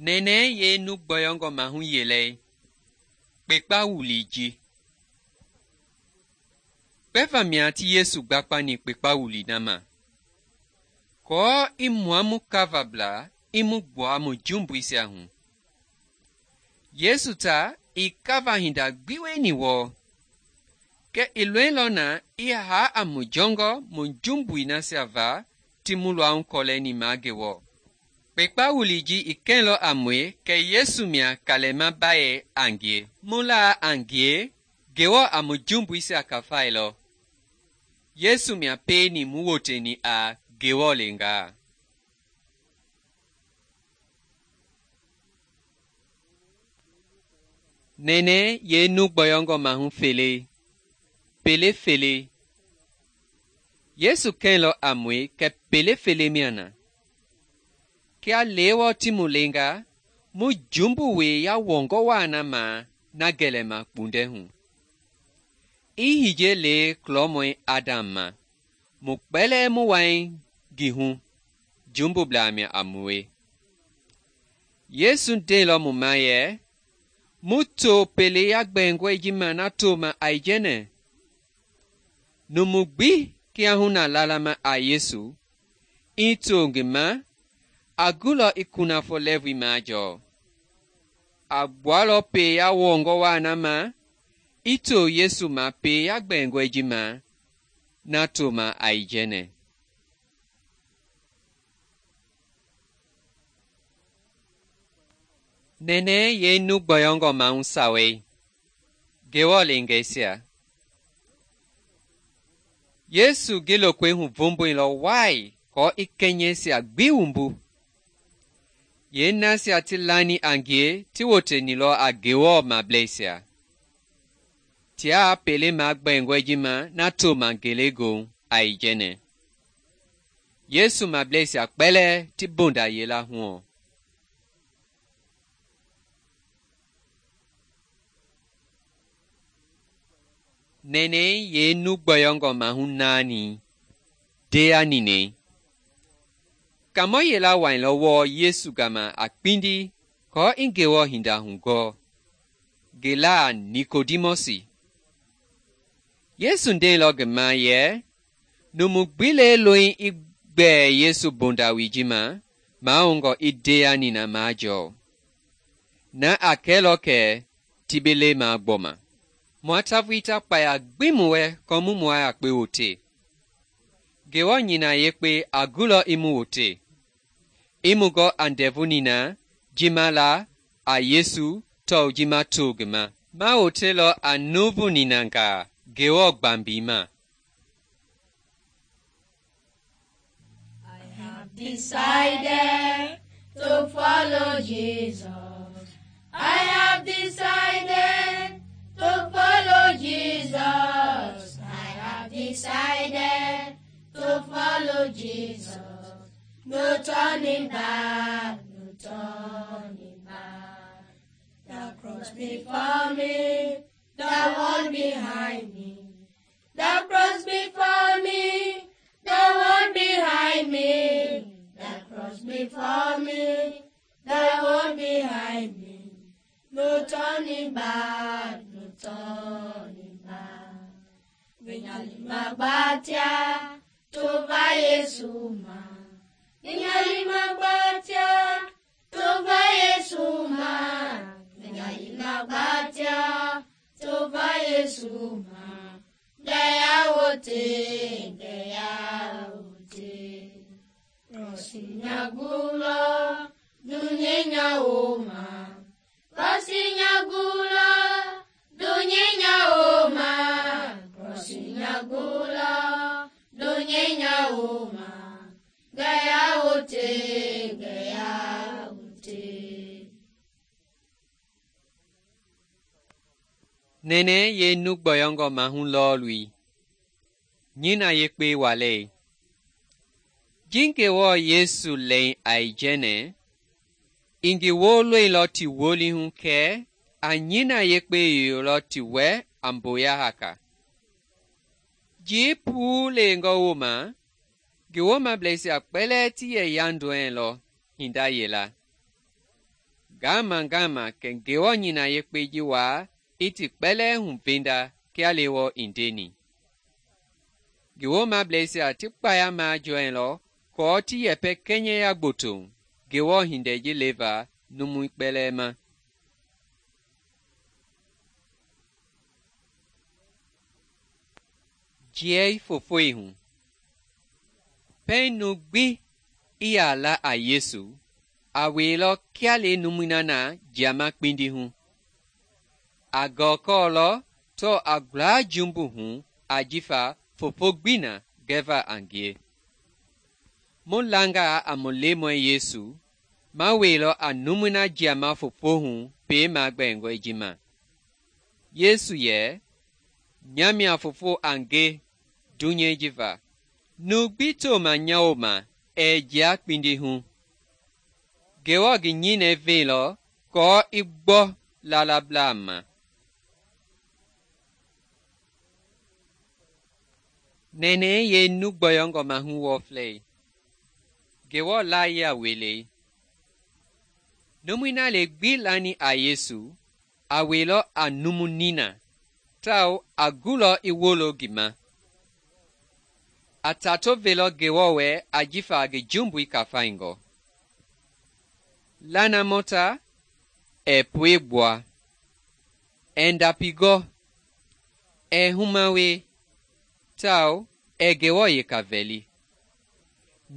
Nɛnɛɛ yee nu gbɔyɔngɔ mahu yelei, kpekpa wulii ji. Kpɛva mia ti Yesu gbakpani kpekpa wulii na ma, kɔɔ i mua mu kavablaa i mu gbua mu jumbuisia hu. Yesu ta i kava hinda gbi wieni wɔɔ, kɛ i loilɔ na i haa a mu jɔngɔ mu jumbui nasia va ti mu luahu kɔlɛni ma Ngewɔ. Kpekpa wulii ji i kɛilɔ a mue kɛ Yesu mia kalɛma bayei a ngie. Mu laa a ngie, Ngewɔ a mu jumbuisia kafailɔ. Yesu mia pieni mu woteni a Ngewɔ lengaa. Nɛnɛɛ yee nu gbɔyɔngɔ mahu fele, pele fele. Yesu kɛilɔ a mue kɛ pele fele mia na. Kia lewɔ ti mu lenga, mu jumbu wee yawɔngɔ waa na ma na gɛlɛma kpundɛ hu. I hijei le kulɔmɔi Adam ma, mu kpɛlɛɛ mu wai ngi hu, jumbublaa mia a mue. Yesu ndeilɔ mu ma yɛ, mu to pele yagbɛngɔi ji ma na toma aijɛnɛ. Numu gbi kiahuna lalama a Yesu, i to ngi ma, a gulɔ i kunafɔ lɛɛvui majɔɔ. A gbualɔ pee yawɔngɔ waa na ma, i to Yesu ma pee yagbɛngɔi ji ma na toma aijɛnɛ. Nɛnɛɛ yee nu gbɔyɔngɔ mahu sawei, Ngewɔ lengɛisia. Yesu ngi lokoi hu vomboilɔ wai kɔɔ i kɛnyɛisia gbi wumbu. Yeenasia ti lani a ngie ti wotenilɔ a Ngewɔ mableisia. Tiaa pele magbɛngɔi ji ma na toma ngelegoohu aijɛnɛ. Yesu mableisia kpɛlɛɛ ti bonda yela huɔ. Nɛnɛɛ yee nu gbɔyɔngɔ mahu naani, dea ninɛi. Kamɔ yela wailɔ wɔɔ Yesu gama a kpindi kɔɔ i Ngewɔ hinda hugɔɔ. Ngi laa Nikodimɔsi. Yesu ndeilɔ ngi ma yɛ, numu gbi le loi i gbɛɛ Yesu bondawoi ji ma, mahoungɔ i dea nina majɔɔ. Na a kɛlɔ kɛ ti be le magbɔma. Mua tavui ta kpaya gbi mu wɛ kɔɔ mu mua yakpe wote. Ngewɔ nyina yekpe a gulɔ i mu wote. I mu gɔ a ndɛvu nina ji ma la a Yesu tɔu ji ma to ngi ma. Ma wotelɔ a nuuvu ninangaa Ngewɔ gbambii ma. I have decided to follow Jesus. I have decided to follow Jesus. I have decided to follow Jesus. No turning back, no turning back. The cross before me, the one behind me. The cross before me, the one behind me. The cross before me, the one behind me. No turning back, no turning back. Vinyali magbatia, tova Yesu ma. Vinyali magbatia, tova Yesu ma. Vinyali magbatia, tova Yesu ma. Gaya wote, gaya wote. Rosinya gula, dunyenya oma. Rosinya gula, dunyenya oma. Rosinya gula, dunyenya oma. Gaya wote, gaya wote. Nɛnɛɛ yee nu gbɔyɔngɔ mahu lɔɔlui, nyina yekpe walei. Ji Ngewɔ Yesu lɛi aijɛnɛ, i ngi wooloilɔ ti wolihu kɛ a nyina yekpe yoyolɔ ti wɛ a mboya haka. Ji puu lengɔ wooma, Ngewɔ mableisia kpɛlɛɛ ti yɛ yandɔɛilɔ hinda yela. ngama kɛ Ngewɔ nina yekpei ji waa i ti kpɛlɛɛ huvenda kia Lewɔ i ndeni. Ngi woomableisia ti kpaya majɔɛilɔ kɔɔ ti yɛpɛ kɛnyɛya gboto Ngewɔ hindei ji leva numui kpɛlɛɛ ma. Jiɛi fofoi hu. Pɛiŋ nu gbi i yaa la a Yesu, a weilɔ kia le numui na jiama kpindi hu. A gɔɔkɔɔlɔ tɔɔ a gulaa jumbu hu ajifa fofo gbi na gɛva a ngie. Mu langaa a mu Lemɔi Yesu, ma weilɔ a numui na jiama fofo hu pei magbɛɛngɔe ji ma. Yesu yɛ, "Nya mia fofo a nge dunyei ji va. Nu gbi toma nya wooma ɛɛ jia kpindi hu." Ngewɔ ngi nyinɛi veilɔ kɔɔ i gbɔ laalablaa ma. Nɛnɛɛ yee nu gbɔyɔngɔ mahu wɔflei. Ngewɔ laayia welei. Numui na le gbi lani a Yesu, a weilɔ a numu nina, tawao a gulɔ i wolo ngi ma. A tato velɔ Ngewɔ wɛ ajifa ngi jumbui kafaingɔ. Lanamɔta ɛɛ pue gbua, ɛɛ ndapigɔ, ɛɛ humawe, tawao ɛɛ Ngewɔ yeka vɛli.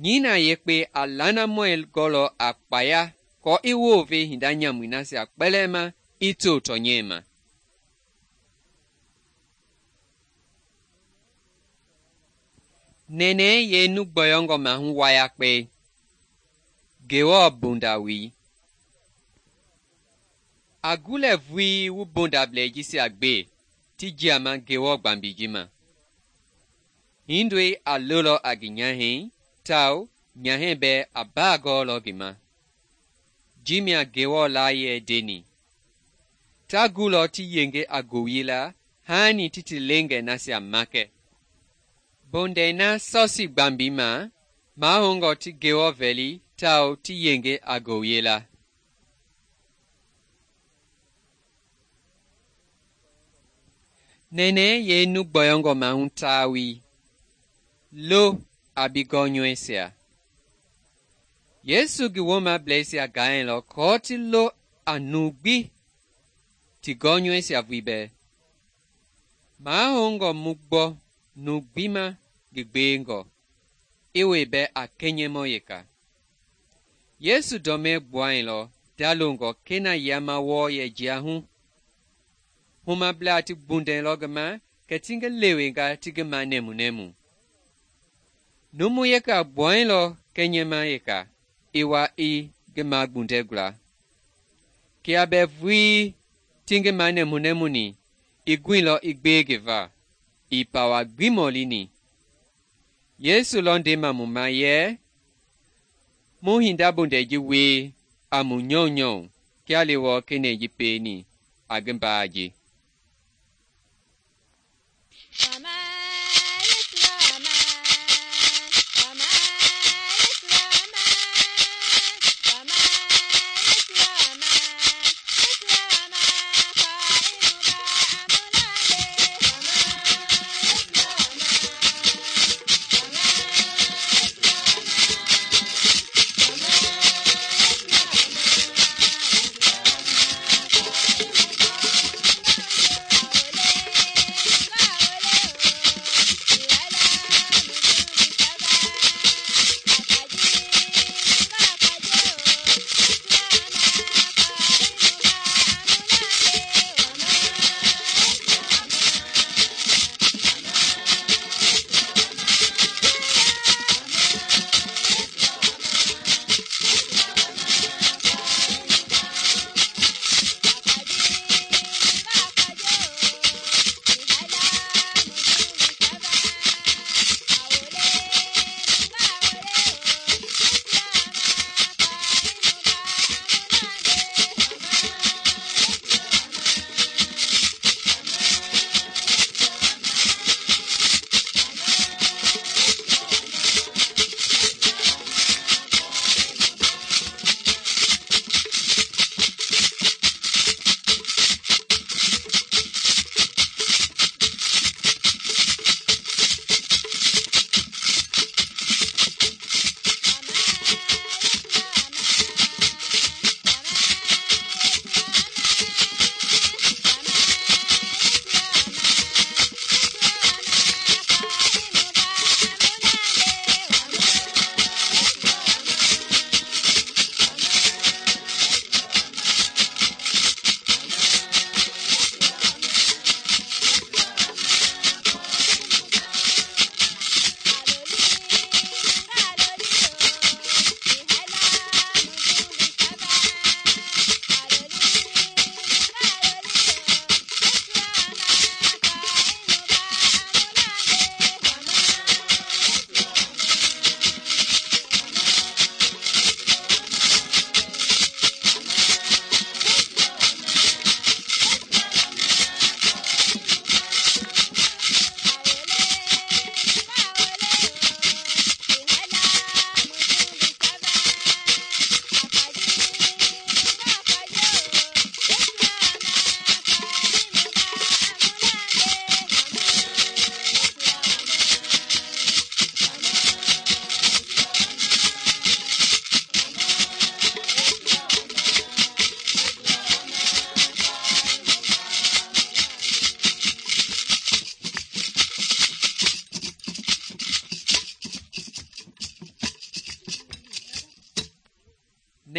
Nyina yekpe a lanamɔi gɔlɔ a kpaya kɔɔ i woove hinda nyamui nasia kpɛlɛɛ ma i to tɔnyɛi ma. Nɛnɛɛ yee nu gbɔyɔngɔ mahu wayakpɛi. Ngewɔ bondawii. A gulɛ vui wu bondablɛi jisia gbe ti jiama Ngewɔ gbambi ji ma. Hindoi a lolɔ a ngi nyahɛi, tawao nyahɛi bɛɛ a baa gɔɔlɔ ngi ma. Ji mia Ngewɔ laayɛ deni. Ta gulɔ ti yenge a gowili la haani ti ti lengɛ nasia makɛ. Bondɛi na sɔsi gbambi ma, mahoungɔ ti Ngewɔ vɛli tawao ti yenge a gowili la. Nɛnɛɛ yee nu gbɔyɔngɔ mahu taawii. Lo a bi gɔnyɔɛisia. Yesu ngi woomableisia gaailɔ kɔɔ ti lo a nu gbi ti gɔnyɔɛisia vui bɛɛ. Mahoungɔ mu gbɔ nu gbi ma ngi gbeengɔ, i woi bɛ a kɛnyɛmɔ yeka. Yesu dɔmɛɛ gbuailɔ dalongɔ kena yama wɔɔ yɛ jia hu. Humablaa ti gbundɛlɔ ngi ma kɛ ti ngi lewenga ti ngi ma nɛmunɛmu. Numu yeka gbuailɔ kɛnyɛma yeka, i wa i ngi ma gbundɛ gula. Kia bɛ vui ti ngi ma nɛmunɛmuni, i guilɔ i gbee ngi va, i pawa gbi mɔlini. Yesu lɔ ndema mu ma yɛ, mu hinda bondɛi ji wie a mu nyɔunyɔu kia Lewɔ kenɛi ji peeni a ngi mbaa ji.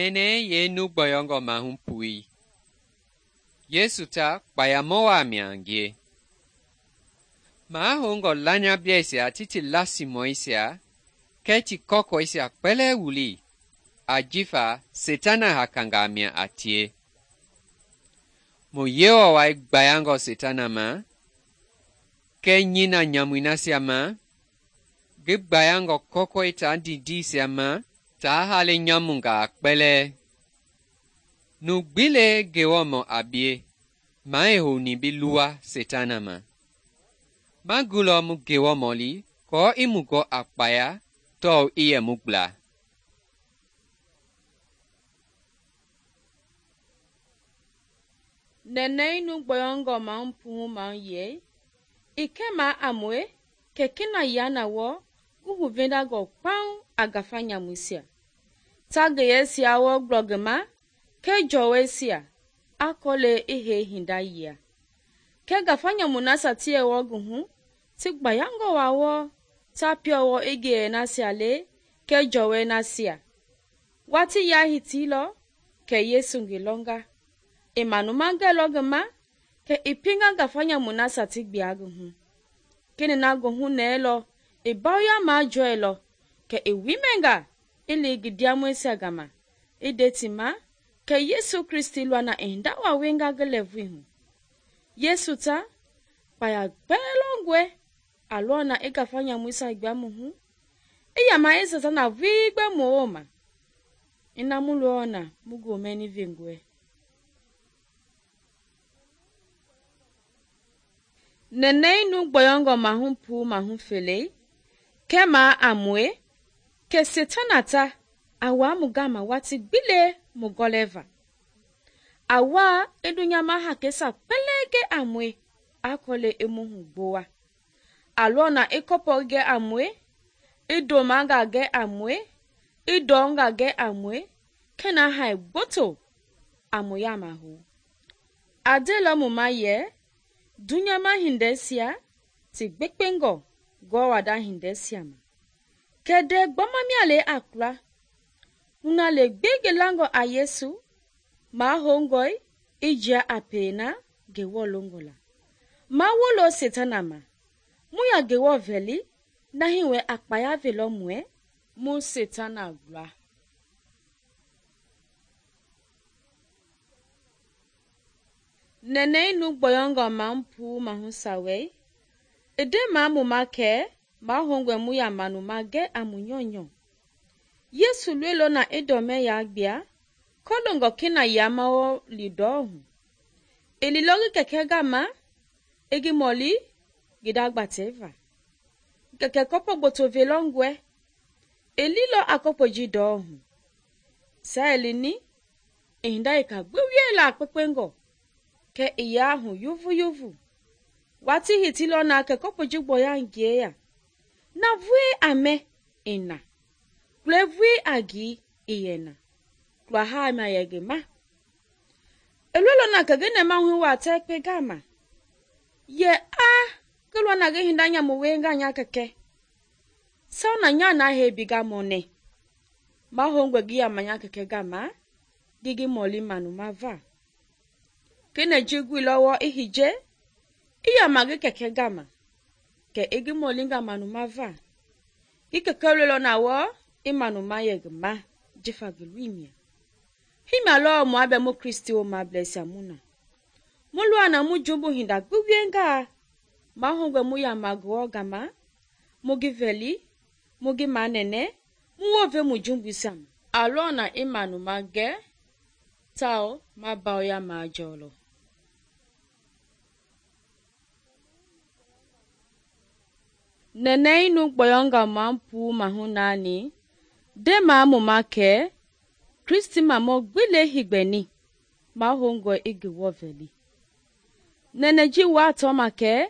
mɛnɛ yeenu gbɔyɔngɔ mahu pui. Yesu ta kpayamɔ waa mia a ngie. Mahoungɔ lanyablɛisia ti ti lasimɔisia kɛɛ ti kɔkɔisia kpɛlɛɛ wuli, ajifa Setana hakangaa mia a tie. Mu Yewɔ wai gbayangɔ Setana ma, kɛɛ nyina nyamui nasia ma, ngi gbayangɔ kɔkɔi taa ndidiisia ma taa hale nyamungaa kpɛlɛɛ. Nu gbi lee Ngewɔmɔ a bie, maa ii houni bi luwa Setana ma. Ma gulɔ mu Ngewɔmɔ li kɔɔ i mu gɔ a kpaya tɔɔ i yɛ mu gbla. Nɛnɛi nu gbɔyɔngɔ mahu puhu mahu yei, i kɛma a mue kɛ kena yana wɔ ngi huvendangɔ kpaŋ a ngafa nyamuisia. Ta ngiyeisia wɔ gblɔ ngi ma kɛ jɔwɔisia a kɔle i hei hinda yia. Kɛ ngafa nyamu nasia ti yɛ wɔ ngi hu ti gbayangɔ wa wɔ ta piɔwɔ i ngiyɛ nasia le kɛ jɔwɔi nasia. Watii ya hitiilɔ kɛ Yesu ngi lɔnga. I manumangɛlɔ ngi ma kɛ i pinga ngafa nyamu nasia ti gbia ngi hu. Kini na ngi hu nɛɛlɔ i bawuya majɔɛlɔ kɛ i wimɛnga i li ngi ndiamɔisia gama i nde ti ma kɛ Yesu Kristi luana i hinda wa wenga ngi lɛɛvui hu. Yesu ta kpaya gbɛɛ lɔngɔe a lɔna i ngafa nyamuisia gbia mu hu, i yama i Setana vui gbɛ mu wooma. Ina mu lɔna mu gomɛni vengɔe. Nɛnɛi nu gbɔyɔngɔ mahu puu mahu felei, kɛma a mue kɛ Setana ta a waa mu gama wati gbile mu gɔlɛva. A waa i dunyama hakɛsa kpɛlɛɛ gɛ a mue a kɔle i mu hu gbowa. A lɔna i kɔpɔ gɛ a mue, i domanga gɛ a mue, i dɔnga gɛ a mue, kɛna hai gboto a mu yama hu. A delɔ mu ma yɛ dunyama hindɛsia ti gbekpengɔ gɔwada hindɛsia ma. Kɛdɛ gbɔmamia le a kula. Huna le gbege langɔ a Yesu, mahoungɔi i jia a peena Ngewɔ longɔ la. Ma wolo Setana ma, mu ya Ngewɔ vɛli, nahi wɛ a kpaya velɔ muɛ, mu Setana gbla. Nɛnɛi nu gbɔyɔngɔ mahu puu mahu sawɛi, i de ma mu ma kɛ mahoungɔe mu ya manu ma gɛ a mu nyɔnyɔ. Yesu luelɔ na i dɔmɛ ya gbia, kɔlongɔ kena yama wɔ li dɔɔ hu. I lilɔ ngi kɛkɛ gama, i ngi mɔli ngi da gbatɛva. Kɛkɛ kɔpɔ gboto velɔ ngɔɛ, i lilɔ a kɔpɔ ji dɔɔ hu. Sa i lini, i hinda i ka gbi wiela a kpekpengɔ, kɛ i yaa hu yuvu yuvu. Wati hitilɔ na kɛ kɔpɔ ji gbɔya ngie ya. Na vui a mɛ i na. Kule vui a gii i yɛ na. Kula haa ma yɛ ngi ma. I luelɔ na kɛ ngi nɛma hui wa tɛ kpe gama. Yɛ ngi lɔ na ngi hinda nyamu wenga nya kɛkɛ. Saw na nya na hei biga mɔnɛ. Mahoungɔe ngi yama nya kɛkɛ gama, ngi mɔli manu ma va. Kene ji gui lɔwɔ i hije, i yama ngi kɛkɛ gama, kɛ i ngi mɔli nga manu ma va. I kɛkɛ luelɔ na wɔ i manu ma yɛ ngi ma, jifa ngi lui mia. Himia lɔ mua bɛ mu Kristi wo ma blɛsia mu na. Mu lua na mu jumbu hinda gbi wienga, mahoungɔe mu yama Ngewɔ gama, mu ngi vɛli, mu ngi ma nɛnɛ, mu wove mu jumbuisia ma. A lɔ na i manu ma gɛ, tao ma bawuya ma jɔlɔ. Nɛnɛi nu gbɔyɔngɔ mahu puu mahu naani, de ma mu ma kɛ Kristi mamɔ gbile higbɛni, mahoungɔe i Ngewɔ vɛli. Nɛnɛ ji waa tɔ ma kɛ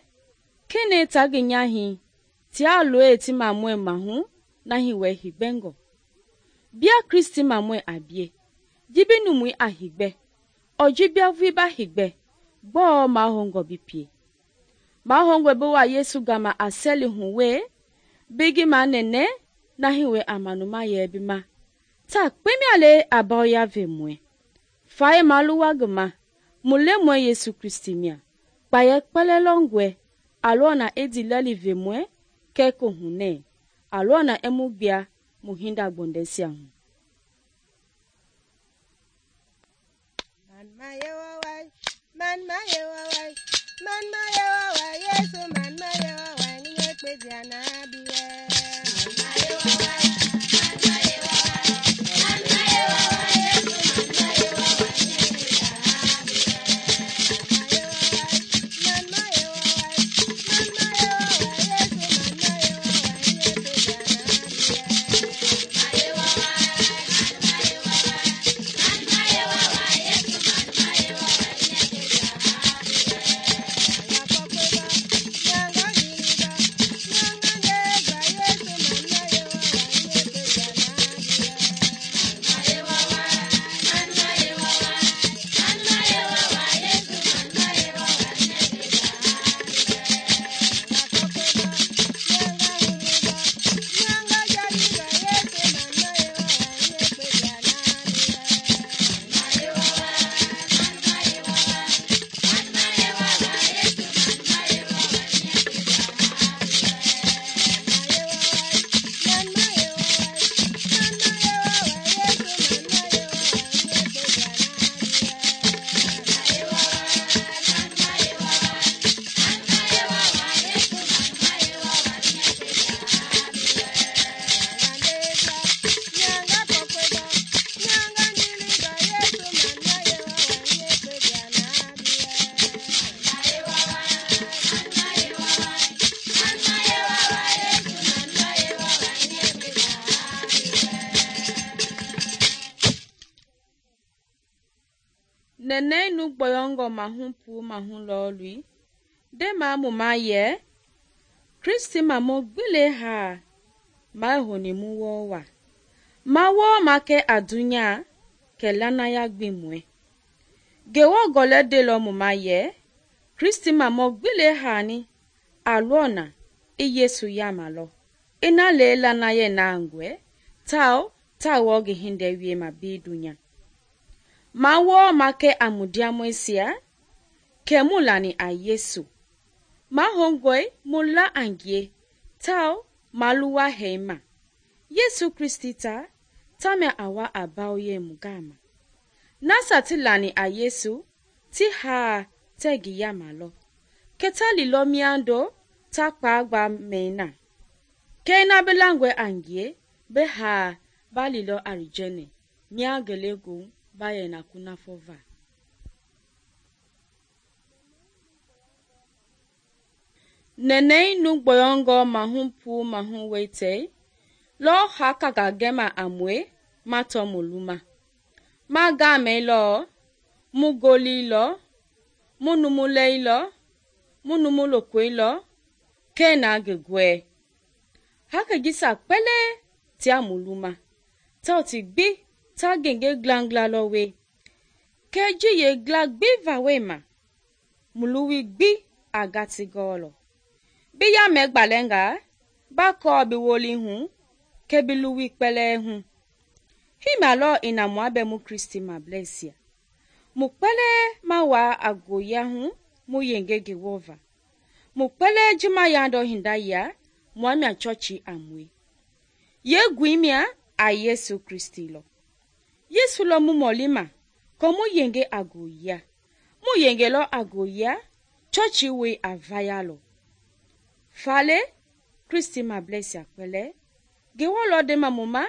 kene ta ngi nyahi tia loe ti mamɔɛ mahu nahi wɛ higbɛngɔ. Bia Kristi mamɔɛ a bie, jibi numui a higbɛ, ɔji bia vui ba higbɛ, gbɔɔ mahoungɔ bi pie. Mahoungɔe bi wa Yesu gama a sɛli hu we, bigi ma nɛnɛ nahi wɛ a manu ma yɛ bi ma, ta kpemia le a bawya ve mue. Faye maluwa ngi ma, mu Lemɔi Yesu Kristi mia, kpayɛ kpɛlɛ lɔngɔe, a lɔ na i dilɛli ve mue kɛ kohunɛ, a lɔ na i mu gbia mu hinda gbɔndɛsia hu. Nene nu gboyongo mahu pu mahu lolui, de ma mu ma ye, Kristi ma mo gbile ha, ma honi mu wo wa. Ma wo ma ke adunya, ke lana ya gbimwe. Gewo gole de lo mu ma ye, Kristi ma mo gbile ha ni, alona, I Yesu ya ma lo. Ina le lana ye na angwe, tao, ta wogi hinde wie ma bi dunya. Ma wo ma ke amudia mwesia, ke mulani a Yesu. Ma hongoi mula angie, tao maluwa heima. Yesu Kristi ta me awa abao ye mugama. Nasa ti lani a Yesu, ti ha tegi ya malo. Keta lilo miando, ta kpagba meina. Keina belangwe angie, be ha ba lilo arijene, mia gelegu. Baye na kuna fova. Nene nu gboyongo mahu pu mahu wete, lo haka gagema amwe, mato muluma. Ma game lo, mu goli lo, mu numulei lo, mu numulokwe lo, kena gegwe. Haka gisa pele tia muluma, ta oti gbi, ta genge glangla lo we. Keji ye gla gbi va we ma. Muluwi gbi agati golo. Biya megbalenga, bako biwoli hu, kebiluwi pele hu. Hima lo ina muabe mu Kristi ma blesia. Mu pele ma wa agoya hu, mu yenge gewova. Mu pele jima yando hindaya, muamia chochi amwe. Ye gwimia a Yesu Kristi lo. Yesu lo mu molima, ko mu yenge agoya. Mu yenge lo agoya, chochi we avaya lo. Fale, Kristi ma blesia kwele. Gewo lo de mamuma,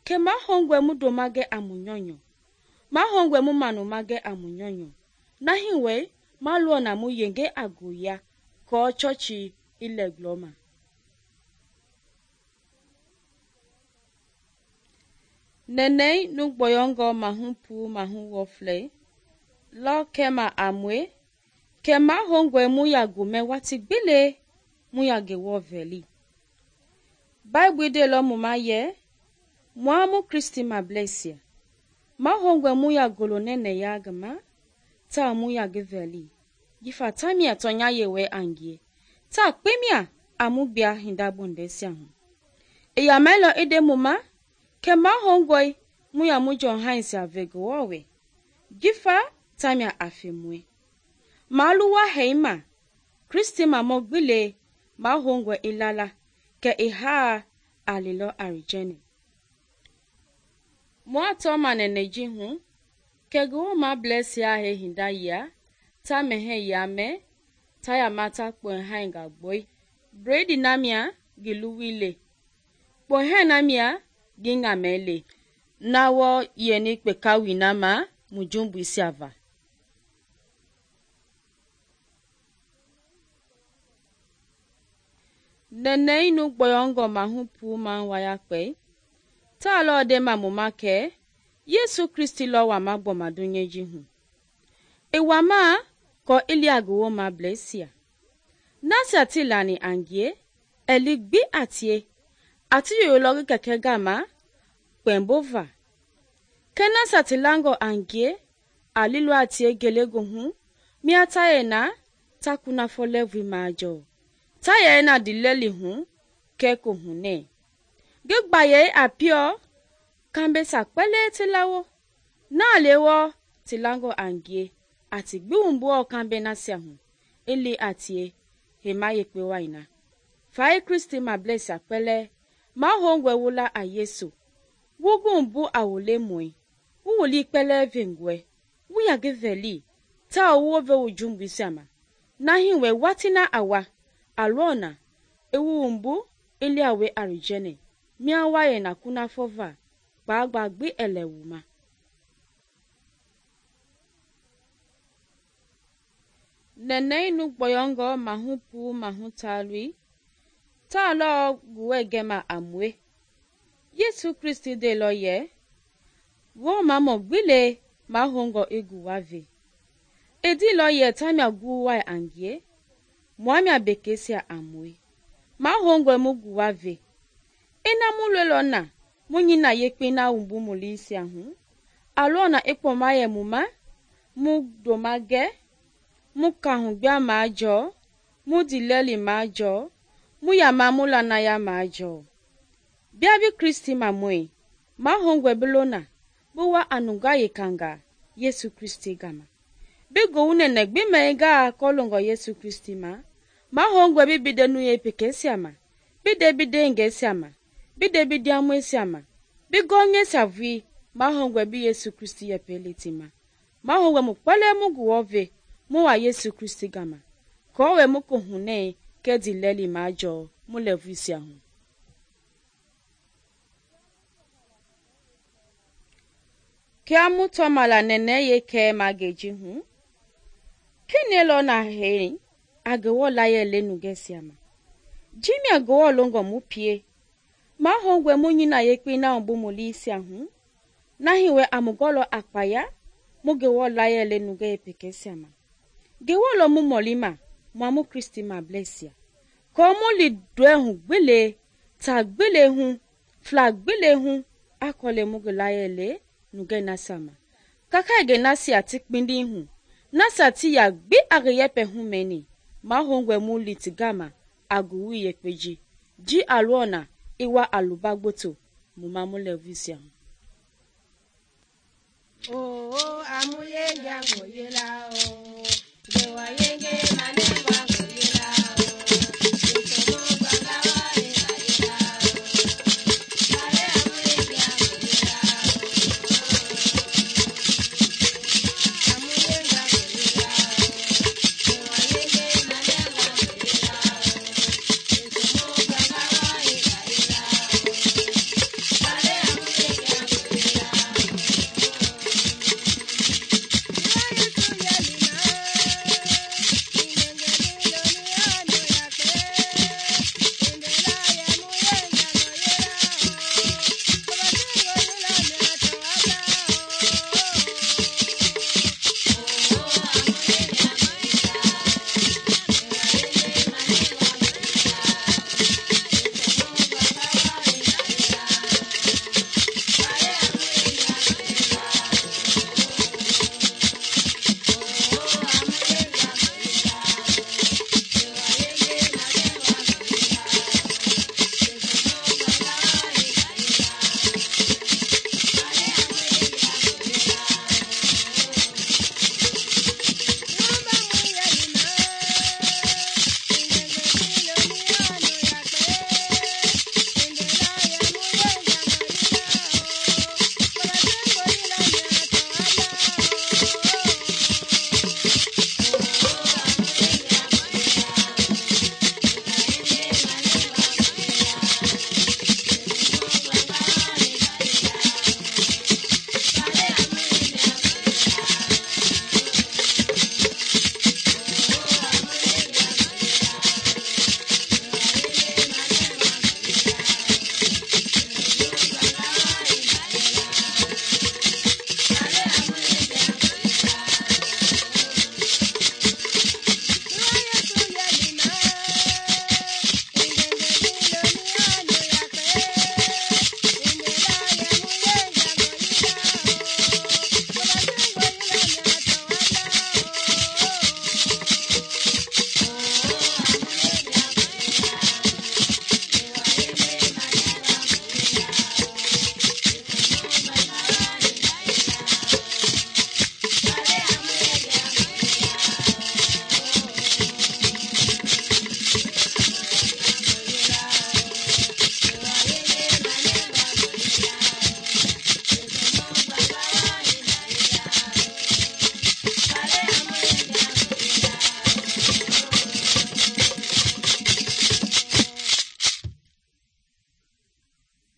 ke ma hongwe mu domage amunyonyo. Ma hongwe mu manumage amunyonyo. Na hiwe, ma luona mu yenge agoya, ko chochi ile gloma. Nene nu gboyongo mahu pu mahu wofle, lo kema amwe, kema hongwe mu ya gume wati gbile mu ya gewo veli. Bible de lo mu ma ye, mua mu Kristi ma blesia. Ma hongwe mu ya golo nene ya gama, ta mu ya geveli. Gifa tamia tonya yewe angie. Ta kpemia amu bia hinda bondesia hu. E ya melo ede mu ma, ke ma hongwe mu ya mu John Heinz a ve Ngewɔ we. Jifa tamia a fe mue. Ma luwa heima, Kristi ma mo gbile ma hongwe ilala ke iha a lilo arijene. Mo ato ma neneji hu, ke Ngewɔ ma bless ya he hinda ya, ta mehe ya me, ta ya mata kwen hainga boy. Bredi namia giluwile. Kwen namia ginga mele. Nawo yeni kpeka winama mujumbu isiava. Nene inu boyongo mahupu manwaya kwe. Ta lo de mamuma ke, Yesu Kristi lo wa magbo madunyeji hu. Ewa ma ko ilia Ngewɔ ma blesia. Nasa tilani angie, eligbi atie, ati yoyologi keke gama, kwenbova. Kena satilango angie, alilu atie gelego hu, miatayena, takuna folevi majo. Tayena dileli hu, keko hune. Gigbaye apio, kambe sakwele tilawo. Na lewo, tilango angie, ati gbiwumbuo kambe nasia hu, ili atie, hema yekwe waina. Fai Kristi ma bless akpele, ma hongwe wula a Yesu. Wugu mbu awule mwe. Uwuli kpele vengwe. Uya geveli. Ta uwove ujumbu isiama. Nahiwe watina awa. Alona. Ewu mbu ili awe arijene. Miawaye na kuna fova. Bagbi elewuma. Nene inu boyongo mahupu mahutalwi. Ta lo guwe gema amwe. Yesu Kristi de lo ye. Wo mamo gbile ma hongo egu wave. Edi lo ye tamia guwa angie. Mwamia bekesia amwe. Ma hongo mugu wave. Ina mulwelo na. Munyina yekpe na umbu mulisi ahu. Alona ekpo maye muma. Mu domage. Mu kahungbia majo. Mu dileli majo. Mu ya mamula na ya majo. Biabi Kristi mamwe. Ma hongwe belona. Buwa anunga yekanga. Yesu Kristi gama. Bigo unene gbimega kolongo Yesu Kristi ma. Ma hongwe bibide nuye peke siama. Bide nge siama. Bide amwe siama. Bigo nye savui. Ma hongwe bi Yesu Kristi ye pelitima. Ma hongwe mukwele mugu wove. Muwa Yesu Kristi gama. Kowe muku hune. Kedi leli majo. Mulevu siahu. Kia muto mala nene ye ke mageji hu. Kine lo na hei. Agewo la ye le nugesiama. Jimi agewo longo mupie. Ma hongwe munyina ye kwi na umbu mulisi ahu. Nahiwe amugolo akpaya. Mugewo la ye le nuge pekesiama. Gewo lo mu molima. Mwamu Kristi ma blesia. Komu li dwe hu gbile. Ta gbile hu. Fla gbile hu. Akole mugela ye le. Nuge nasama. Kaka ege nasi ati kpindi hu. Nasa ti ya gbi ageyepe hu meni. Ma hongwe mu litigama. Aguwi yekpeji. Ji aluona. Iwa alubagboto. Muma mule visia. Oh, amuye jango yela.